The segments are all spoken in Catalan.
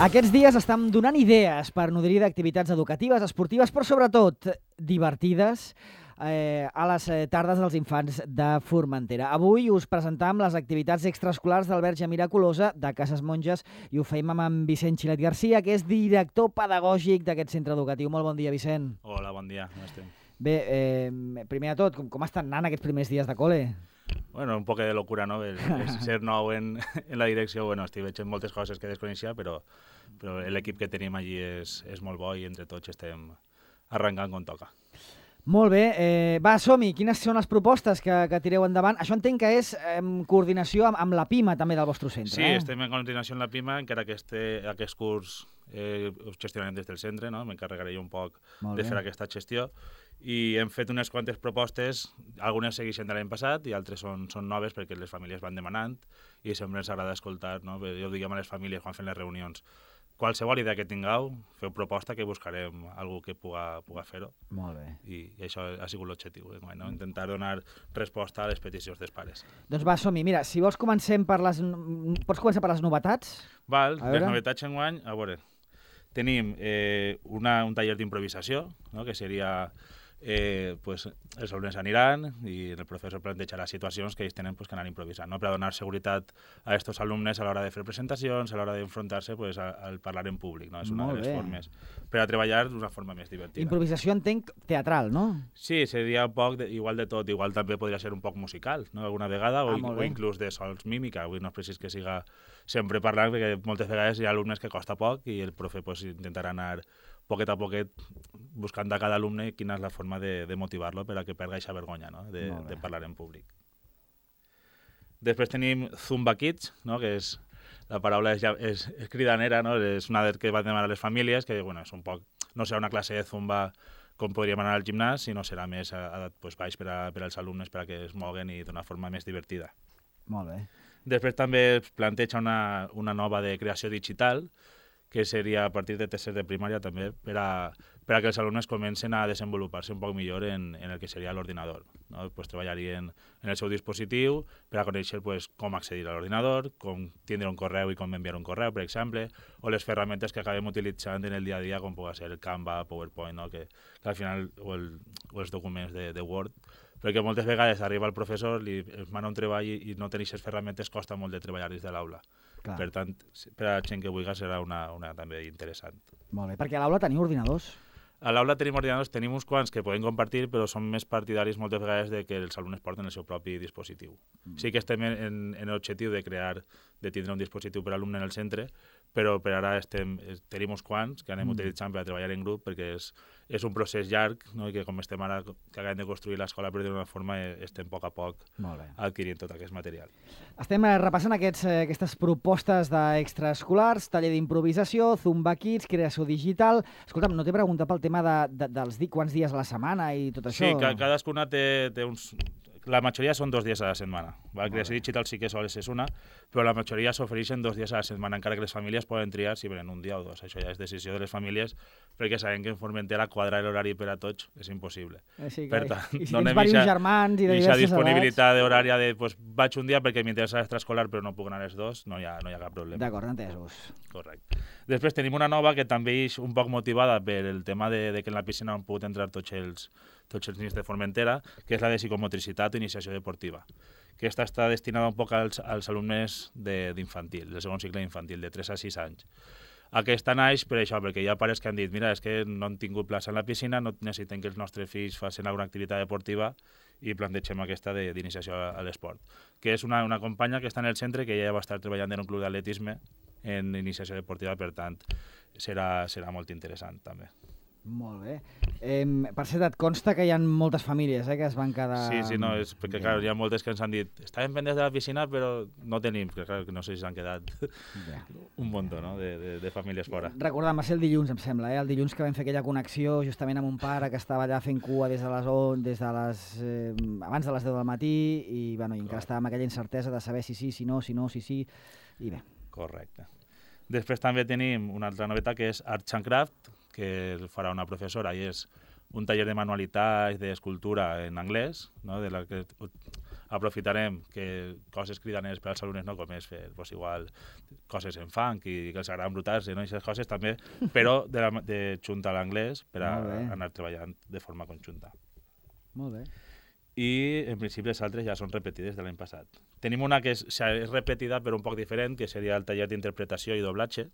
Aquests dies estem donant idees per nodrir d'activitats educatives, esportives, però sobretot divertides a les tardes dels infants de Formentera. Avui us presentam les activitats extraescolars del Verge Miraculosa de Cases Monges i ho fem amb en Vicent Xilet Garcia, que és director pedagògic d'aquest centre educatiu. Molt bon dia, Vicent. Hola, bon dia, com estem? Bé, primer de tot, com estan anant aquests primers dies de col·le? Bueno, un poc de locura, no? Ser nou en la direcció, bueno, estic veient moltes coses que desconeixia, però l'equip que tenim allí és molt bo i entre tots estem arrencant com toca. Molt bé. Va, som-hi. Quines són les propostes que tireu endavant? Això entenc que és en coordinació amb la PIMA també del vostre centre. Sí, estem en coordinació amb la PIMA, encara que aquest curs ho gestionarem des del centre, no? M'encarregaré jo un poc de fer aquesta gestió. I hem fet unes quantes propostes, algunes segueixen de l'any passat i altres són noves perquè les famílies van demanant i sempre ens agrada escoltar, no? Jo ho diguem a les famílies quan fem les reunions. Qualsevol idea que tingueu, feu proposta que buscarem algú que puga fer-ho. Molt bé. I això ha sigut l'objectiu, no? Intentar donar resposta a les peticions dels pares. Doncs va, som-hi. Mira, si vols pots començar per les novetats? Val, les novetats enguany, a veure, tenim un taller d'improvisació, no? Que seria... els alumnes aniran i el professor plantejarà situacions que ells tenen que anar improvisant, no? Per a donar seguretat a aquests alumnes a l'hora de fer presentacions, a l'hora d'enfrontar-se al parlar en públic, no? És una de les formes per a treballar d'una forma més divertida. Improvisació entenc teatral, no? Sí, seria un poc igual de tot, igual també podria ser un poc musical, no? Alguna vegada, o inclús de sols mímica, avui no és precís que siga sempre parlant, perquè moltes vegades hi ha alumnes que costa poc i el profe intentarà anar poquet a poquet buscant de cada alumne quina és la forma de motivar-lo per a que perga aquesta vergonya, no? de parlar en públic. Després tenim Zumba Kids, no? Que la paraula és cridanera, no? És una que va demanar a les famílies, que bueno, és un poc, no serà una classe de Zumba com podríem anar al gimnàs, sinó serà més baix per als alumnes per a que es moguen i d'una forma més divertida. Molt bé. Després també es planteja una nova de creació digital, que seria a partir de tercer de primària també, per a que els alumnes comencen a desenvolupar-se un poc millor en el que seria l'ordinador, no? Treballarien en el seu dispositiu per a conèixer com accedir a l'ordinador, com tindre un correu i com enviar un correu, per exemple, o les ferramentes que acabem utilitzant en el dia a dia, com pugui ser el Canva, PowerPoint, no? que al final, o els documents de Word, perquè moltes vegades arriba el professor, li mana un treball i no tenir aquestes ferramentes costa molt de treballar des de l'aula. Per tant, per a la gent que vulgui serà una també interessant. Molt bé, perquè a l'aula teniu ordinadors? A l'aula tenim ordinadors, tenim uns quants que podem compartir, però som més partidaris moltes vegades de que els alumnes porten el seu propi dispositiu. Sí que estem en l'objectiu de tindre un dispositiu per alumne en el centre, però per ara tenim uns quants que anem utilitzant per a treballar en grup, perquè és un procés llarg, no? I que com estem ara que acabem de construir l'escola, per dir-ho d'una forma, estem a poc adquirint tot aquest material. Estem repassant aquestes propostes d'extraescolars, taller d'improvisació, Zumba Kids, creació digital. Escolta'm, no t'he preguntat pel tema dels quants dies a la setmana i tot això? Sí, cadascuna té uns... La majoria són 2 dies a la setmana. La creació digital sí que sol ser una, però la majoria s'ofereixen 2 dies a la setmana, encara que les famílies poden triar si venen un dia o 2. Això ja és decisió de les famílies, perquè sabem que en Formentera quadrar l'horari per a tots és impossible. Sí, per tant, i si tens diversos germans i de diverses edats... disponibilitat horària de vaig un dia perquè m'interessa l'extraescolar però no puc anar els 2, no hi ha cap problema. D'acord, entesos. Correcte. Després tenim una nova que també és un poc motivada per el tema de que en la piscina han pogut entrar tots els nens de Formentera, que és la de psicomotricitat o iniciació deportiva. Aquesta està destinada un poc als alumnes d'infantil, del segon cicle d'infantil, de 3 a 6 anys. Aquesta naix per això, perquè hi ha pares que han dit mira, és que no han tingut plaça en la piscina, no necessiten que els nostres fills facin alguna activitat deportiva i plantegem aquesta d'iniciació a l'esport. Que és una companya que està en el centre, que ja va estar treballant en un club d'atletisme en iniciació deportiva, per tant, serà molt interessant també. Molt bé. Per cert, et consta que hi ha moltes famílies que es van quedar... Sí, no, és perquè clar, hi ha moltes que ens han dit estàvem pendents de la piscina però no tenim, que clar, no sé si s'han quedat un munt, no? de famílies fora. Recorda'm, va ser el dilluns, em sembla, el dilluns que vam fer aquella connexió justament amb un pare que estava allà fent cua abans de les 10 del matí i encara estava amb aquella incertesa de saber si sí, si no, i bé. Correcte. Després també tenim una altra novetat que és Arts and Craft, que farà una professora i és un taller de manualitat i d'escultura en anglès, no? aprofitarem que coses cridaneres per als alumnes, no? Com és fer igual coses en funk i que els agraden brutals, no? I aquestes coses també, però de junta a l'anglès per a anar treballant de forma conjunta. Molt bé. I en principi les altres ja són repetides de l'any passat. Tenim una que és repetida però un poc diferent, que seria el taller d'interpretació i doblatge.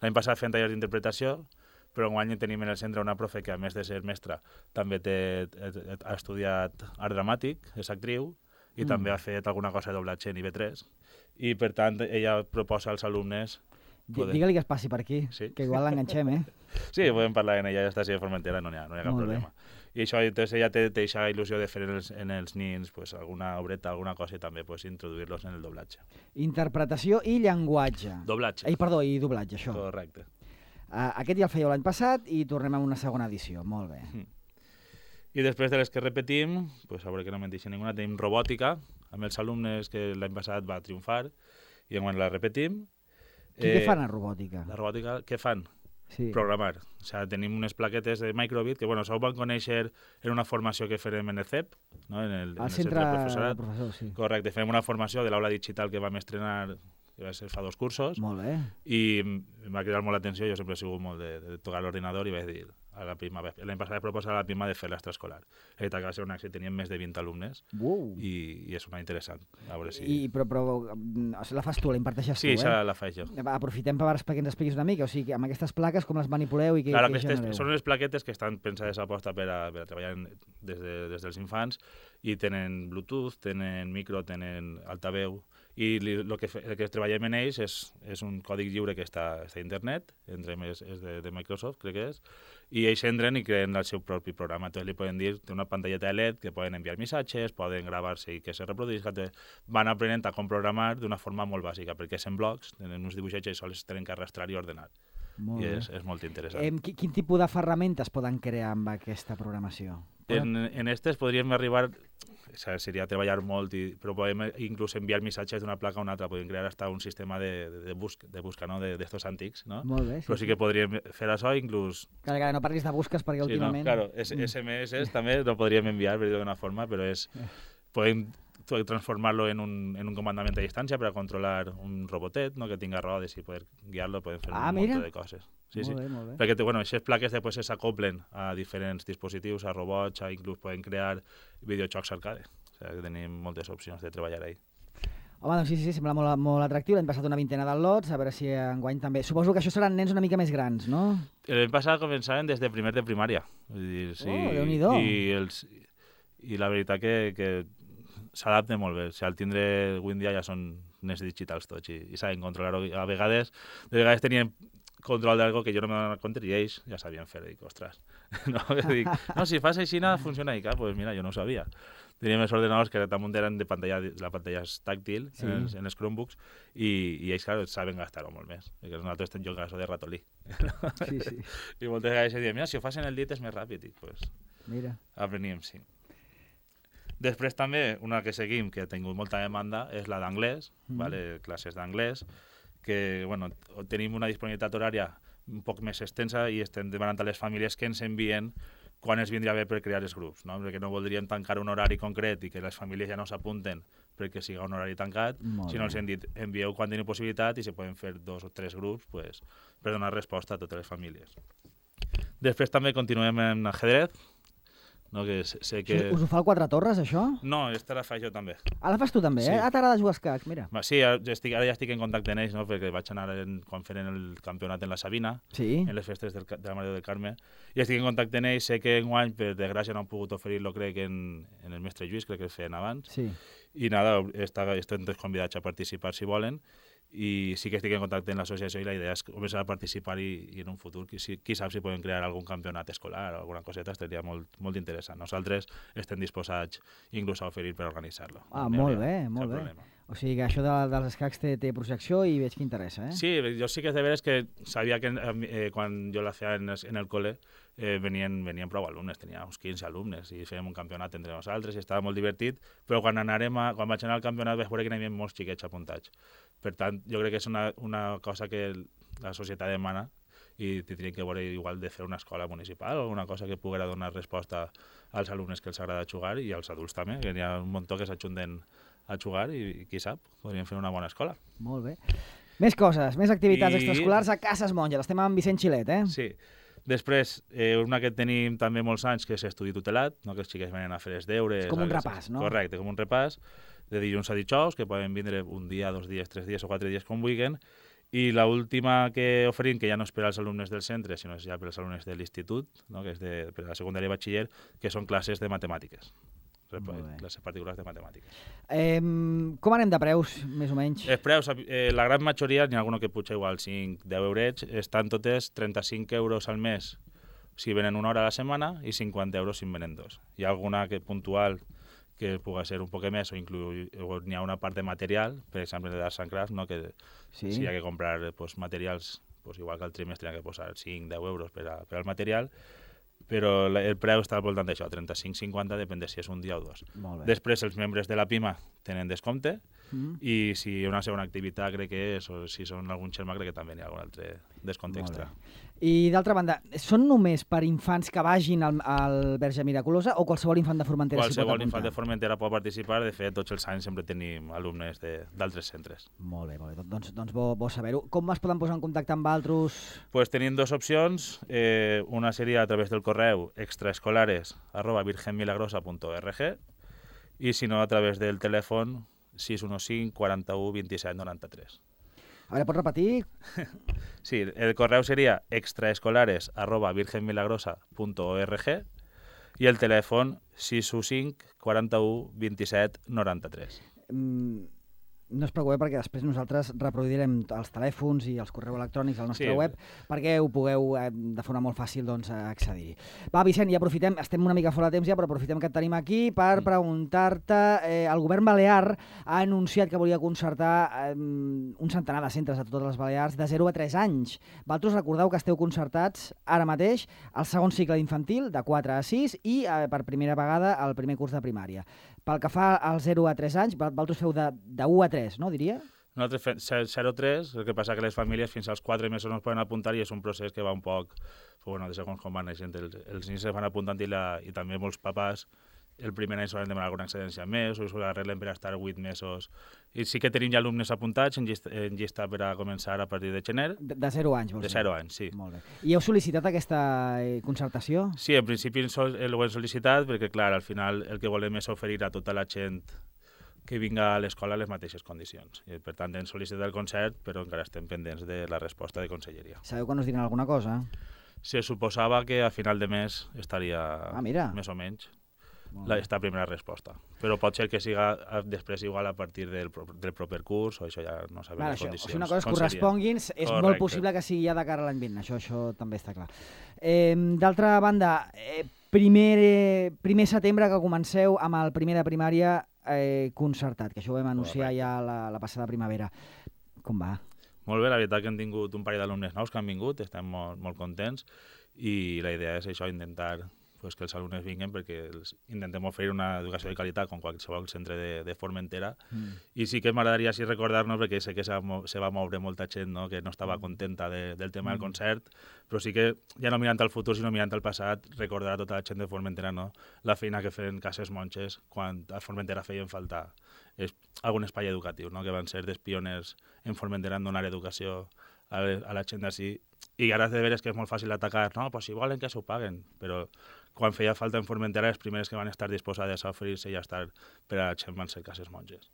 L'any passat fem tallers d'interpretació, però enguany tenim en el centre una profe que, a més de ser mestra, també ha estudiat art dramàtic, és actriu, i també ha fet alguna cosa de doblatge en IB3. I, per tant, ella proposa als alumnes... Digue-li que es passi per aquí, que igual l'enganxem, Sí, podem parlar en ella, ja està a Formentera, no hi ha cap problema. I això, entonces ella té aquesta il·lusió de fer en els nins alguna obreta, alguna cosa, i també introduir-los en el doblatge. Interpretació i llenguatge. Doblatge. Perdó, i doblatge, això. Correcte. Aquest ja el fèieu l'any passat i tornem a una segona edició. Molt bé. I després de les que repetim, a veure que no me'n deixi ninguna, tenim robòtica, amb els alumnes que l'any passat va triomfar, i enguany la repetim. Què fan a robòtica? La robòtica, què fan? Sí. Programar. O sigui, tenim unes plaquetes de microbit que, això ho van conèixer en una formació que farem en el CEP, no? en el centre de professorat. Sí. Correcte, fem una formació de l'aula digital que vam estrenar, que va ser fa 2 cursos. Molt bé. I em va cridar molt l'atenció, jo sempre he sigut molt de tocar l'ordinador i vaig dir a la prima, l'any passat vaig proposar a la prima de fer l'extraescolar. La veritat que va ser un èxit, teníem més de 20 alumnes i és una interessant. A veure si... Però la fas tu, la imparteixes tu, Sí, això la faig jo. Aprofitem perquè ens expliquis una mica, o sigui, amb aquestes plaques com les manipuleu i què genereu? Són unes plaquetes que estan pensades a posta per a treballar des dels infants i tenen Bluetooth, tenen micro, tenen altaveu, i el que treballem en ells és un còdig lliure que està a internet, és de Microsoft, crec que és, i ells entren i creen el seu propi programa. Entonces li poden dir, té una pantalleta de LED que poden enviar missatges, poden gravar-se i que se reproduïsca. Van aprenent a com programar d'una forma molt bàsica, perquè és en blocs, tenen uns dibuixets i sols tenen que arrastrar i ordenar. I és molt interessant. Quin tipus de ferramentes poden crear amb aquesta programació? En aquestes podríem arribar... Seria treballar molt, però podem inclús enviar missatges d'una placa a una altra. Podem crear hasta un sistema de busca, no? d'estos antics, no? Molt bé, però sí que podríem fer això, inclús... Clar, no parlis de busques perquè últimament... Claro, SMS també no podríem enviar, per dir d'una forma, però podem transformar-lo en un comandament a distància per a controlar un robotet, no? Que tinga rodes i poder guiar-lo, podem fer un munt de coses. Sí. Molt bé. Perquè aquestes plaques després s'acoplen a diferents dispositius, a robots, inclús poden crear videojocs arcade. O sigui, que tenim moltes opcions de treballar ahí. Home, doncs sí, sembla molt atractiu. L'any passat una vintena de lots, a veure si enguany també... Suposo que això seran nens una mica més grans, no? L'any passat començaven des de primer de primària. Vull dir, sí, Déu-n'hi-do. I la veritat que s'adapta molt bé. O sigui, al tindre avui en dia ja són nens digitals tots i saben controlar-ho. De vegades tenien control d'algo que jo no m'he donat compte i ells ja sabien fer. Dic, ostres, no, si fas així funciona i pues mira, jo no ho sabia. Teníem els ordenadors que damunt eren la pantalla és tàctil en els Chromebooks i ells, clar, saben gastar-ho molt més. Perquè nosaltres jo gasto de ratolí. Sí. I moltes vegades diem, mira, si ho fas en el dit és més ràpid. I pues apreníem, sí. Després també, una que seguim, que ha tingut molta demanda, és la d'anglès, classes d'anglès, que tenim una disponibilitat horària un poc més extensa i estem demanant a les famílies que ens envien quan els vindria bé per crear els grups, no? Perquè no voldríem tancar un horari concret i que les famílies ja no s'apunten perquè siga un horari tancat, sinó els hem dit envieu quan teniu possibilitat i se poden fer 2 o 3 grups per donar resposta a totes les famílies. Després també continuem en ajedrez, no, que sé que... Us ho fa el Quatre Torres, això? No, aquesta la faig jo també. La fas tu també, sí. T'agrada jugar a escacs, mira. Sí, ara ja estic en contacte amb ells, no? Perquè vaig anar quan feren el campionat en la Sabina, en les festes de la Mare del Carme, i estic en contacte amb ells. Sé que enguany, per desgràcia, no han pogut oferir-lo, crec, en el Mestre Lluís, crec que el feien abans. Sí. I nada, estem convidats a participar si volen. I sí que estic en contacte amb l'associació i la idea és començar a participar i en un futur, qui sap si podem crear algun campionat escolar o alguna coseta, estaria molt interessant. Nosaltres estem disposats inclús a oferir per organitzar-lo. Molt bé. O sigui que això dels escacs té projecció i veig que interessa, Sí, jo sí que és de veres que sabia que quan jo la feia en el col·le venien prou alumnes, tenia uns 15 alumnes i fèiem un campionat entre nosaltres i estava molt divertit, però quan vaig anar al campionat vaig veure que n'hi havia molts xiquets apuntats. Per tant, jo crec que és una cosa que la societat demana i tindrien que veure igual de fer una escola municipal o alguna cosa que poguera donar resposta als alumnes que els agrada jugar i als adults també, que hi ha un muntó que s'ajunten a jugar i qui sap, podrien fer una bona escola. Molt bé. Més coses, més activitats extraescolars a Cases Monges. Estem amb Vicent Xilet, eh? Sí. Després, una que tenim també molts anys, que és estudi tutelat, no? Que els xiquets venen a fer els deures. És com un repàs, no? Correcte, com un repàs, de dilluns a dijous, que poden vindre un dia, 2 dies, 3 dies o 4 dies com vulguin. I l'última que oferim, que ja no és per als alumnes del centre, sinó és ja per als alumnes de l'institut, no? Que és per a la secundària i batxiller, que són classes de matemàtiques. Classes particulars de matemàtiques. Com anem de preus, més o menys? Els preus, la gran majoria, n'hi ha alguna que puja igual 5-10 eurets, estan totes 35 euros al mes si venen una hora a la setmana i 50 euros si en venen 2. Hi ha alguna que puntual que pugui ser un poc més o n'hi ha una part de material, per exemple de l'Arts and Crafts, no? Que si hi ha que comprar materials, igual que al trimestre hi ha que posar 5-10 euros per al material, però el preu està al voltant d'això, 35-50, depèn de si és un dia o 2. Després els membres de la PIMA tenen descompte i si hi ha una segona activitat crec que és, o si són algun xerma crec que també hi ha algun altre descompte extra. I d'altra banda, són només per infants que vagin al Verge Miraculosa o qualsevol infant de Formentera s'hi pot apuntar? Qualsevol infant de Formentera pot participar, de fet tots els anys sempre tenim alumnes d'altres centres. Molt bé, doncs bo saber-ho. Com es poden posar en contacte amb altres? Pues tenim dues opcions, una seria a través del correu extraescolares@virgenmilagrosa.org i si no a través del telèfon 615 41 27 93. A veure, pots repetir? Sí, el correu seria extraescolares@virgenmilagrosa.org i el telèfon 615 41 27 93. No es preocupeu perquè després nosaltres reproduirem els telèfons i els correus electrònics al nostre web perquè ho pugueu de forma molt fàcil accedir-hi. Va, Vicent, i aprofitem, estem una mica fora de temps ja, però aprofitem que et tenim aquí per preguntar-te, el govern balear ha anunciat que volia concertar un centenar de centres a totes les Balears de 0 a 3 anys. Vosaltres recordeu que esteu concertats ara mateix al segon cicle d'infantil, de 4 a 6, i per primera vegada al primer curs de primària. Pel que fa al 0 a 3 anys, vosaltres feu de 1 a 3, no, diria? Nosaltres fem 0-3, el que passa que les famílies fins als 4 mesos no es poden apuntar i és un procés que va un poc, de segons com van naixent. Els nens es van apuntant i també molts papàs el primer any solen demanar alguna excedència més o s'ho arreglen per estar 8 mesos. I sí que tenim ja alumnes apuntats en llista per a començar a partir de gener. De 0 anys, vols dir? De 0 anys, sí. Molt bé. I heu sol·licitat aquesta concertació? Sí, en principi ho hem sol·licitat perquè, clar, al final el que volem és oferir a tota la gent que vinga a l'escola les mateixes condicions. I, per tant, hem sol·licitat el concert, però encara estem pendents de la resposta de Conselleria. Sabeu quan us diran alguna cosa? Se suposava que a final de mes estaria més o menys esta primera resposta. Però pot ser que siga després igual a partir del proper curs, o això ja no sabem les condicions. Si una cosa es corresponguin, és molt possible que sigui ja de cara a l'any vinent, això també està clar. D'altra banda, primer setembre que comenceu amb el primer de primària concertat, que això ho vam anunciar ja la passada primavera. Com va? Molt bé, la veritat que hem tingut un parell d'alumnes nous que han vingut, estem molt contents i la idea és això, intentar que els alumnes vinguin perquè intentem oferir una educació de qualitat com qualsevol centre de Formentera i sí que m'agradaria recordar-nos perquè sé que se va moure molta gent que no estava contenta del tema del concert, però sí que ja no mirant al futur sinó mirant al passat recordar a tota la gent de Formentera la feina que feien Cases Monges quan a Formentera feien falta algun espai educatiu, que van ser dels pioners en Formentera en donar educació a la gent d'ací i ara de veres que és molt fàcil atacar, si volen que s'ho paguen, però quan feia falta en Formentera, les primeres que van estar disposades a oferir-se i a estar per a la gent van ser Cases Monges.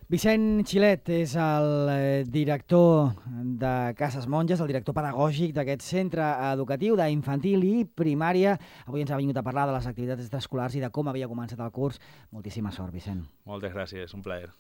Vicent Xilet és el director de Cases Monges, el director pedagògic d'aquest centre educatiu d'infantil i primària. Avui ens ha vingut a parlar de les activitats extraescolars i de com havia començat el curs. Moltíssima sort, Vicent. Moltes gràcies, un plaer.